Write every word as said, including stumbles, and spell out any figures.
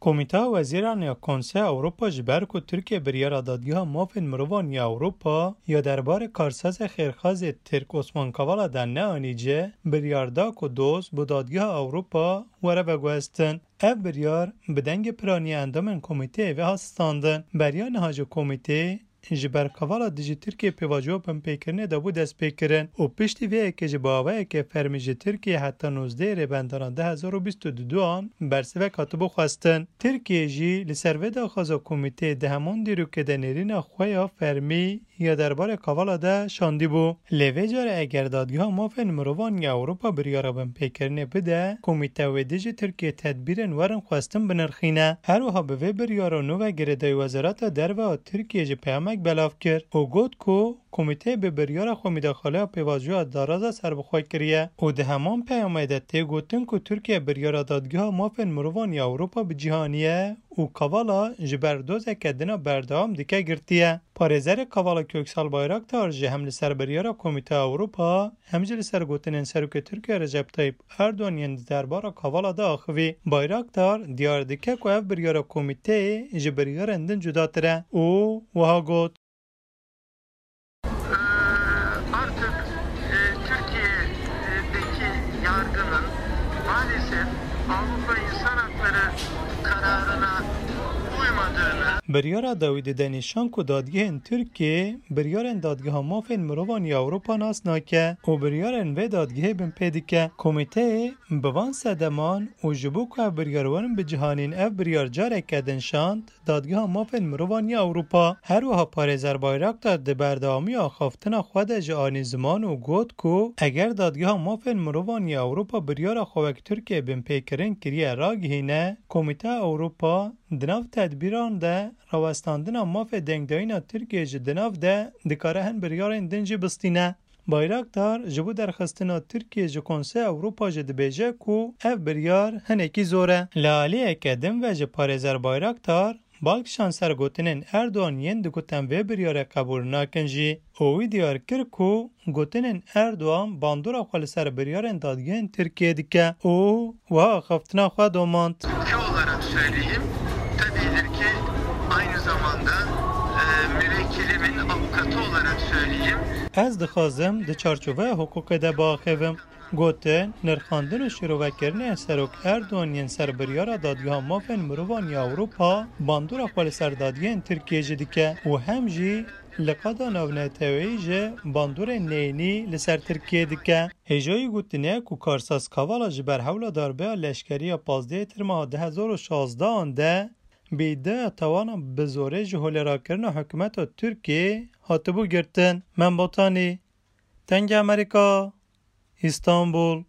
Komîteya Wezîran ya Konseya Ewropa ji ber ku Tirkiye biryara Dadgeha Mafên Mirovan ya Ewropa ya derbarê karsazê xêrxazê Tirk Osman Kavala de neanîce, biryar da ku doz bi Dadgeha Ewropa were veguhestin. Ev biryar bi dengê piranî endamên komîteyê ve hat standin. Beriya niha jî komîteyê ji ber Kavala dijî Tirkiyê pêvajoya binpêkirinê de bû destpêkirin û piştî vê yekê jî bi awayeke fermî ji Tirkiyê heta nozdehê Rêbendana du hezar û bîst û duan bersivek hatibû xwestin. Tirkiye jî li ser vê daxwaza komîteyê di heman dîrokê de nêrîna xwe ya fermî ya derbarê Kavala de şandîbû. Lê vê carê eger Dadgeha Mafên Mirovan ya Ewropa biryara binpêkirinê bide, komîte wê dijî Tirkiyê tedbîrên werin xwestin binirxîne. Her wiha bi vê biryara nû ve girêdayî Wezareta Derve a Tirkiyê jî peyamek belav kir û got ku komîteyê bi biryara xwe mîdaxaleya pêvajoya daraza serbixwe kiriye û di heman peyamê de tê gotin ku Tirkiye biryara Dadgeha Mafên Mirovan ya Ewropa bi cîhanî ye û Kavala ji ber dozeke din a berdewam dike girtiye. Parêzerê Kavala Köksal Bayraktar jî hem li ser biryara Komîteya Ewropa, hem jî li ser gotinên Serokê Tirkiye Recep Tayyip Erdogan yên di derbara Kavala de axivî. Bayraktar diyar dike ku ev biryara komîteyê ji biryarên din cudatir e û wiha got: Ee, artık, e, Türkiye'deki yargının maalesef Avrupa İnsan Hakları kararına uymadığını, Biryara dawî dide nîşan ku dadgehên Tirkiyê biryarên Dadgeha Mafên Mirovan ya Ewropa nas nake û biryarên vê dadgehê binpê dike. Komîteyê bi van sedeman û ji bo ku ev biryar werin bicihanîn, ev biryar careke din şand Dadgeha Mafên Mirovan ya Ewropa. Her wiha parêzer Bayraktar di berdewamiya axaftina xwe de jî anî ziman û got ku eger Dadgeha Mafên Mirovan ya Ewropa biryara xwe wek Tirkiye binpêkirin kiriye ragihîne, Komîteya Ewropa di nav tedbîran de rawestandina mafê dengdayîna Tirkiye jî di nav de dikare hin biryarên din jî bistîne. Bayraktar ji bo derxistina Tirkiye ji Konseya Ewropa jî dibêje ku ev biryar hinekî zor e. Li aliyeke din ve jî parêzer Bayraktar bal kişand ser gotinên Erdogan yên digot em vê biryarê qebûl nakin jî û wî diyar kir ku gotinên Erdogan bandora xwe li ser biryarên dadgehên Tirkiyê dike û wiha axaftina xwe domand. Ülke olarak söyleyeyim, tabiidir ki aynı zamanda, e, müvekkilimin avukatı olarak söyleyeyim. Ez dixwazim di çarçoveya hiqûqê de biaxivim. Gotin, nirxandin û şîrovekirinê Serok Erdogan yên ser biryara Dadgeha Mafên Mirovan ya Ewropa bandora xwe li ser dadgehên Tirkiyê jî dike û hem jî li qada navneteweyî jî bandorên neyînî li ser Tirkiyê dike. Hêjayî gotinê ku Karsaz Kavala ji ber hewla darbeya leşkerî ya pazdehê Tirmeha du hezar û şazdehan de bi îdiaya tawana bi zorê ji holêrakirina hikûmeta Tirkiyê hatibû girtin. Mem Botanî, Dengê Amerîka, Îstanbul.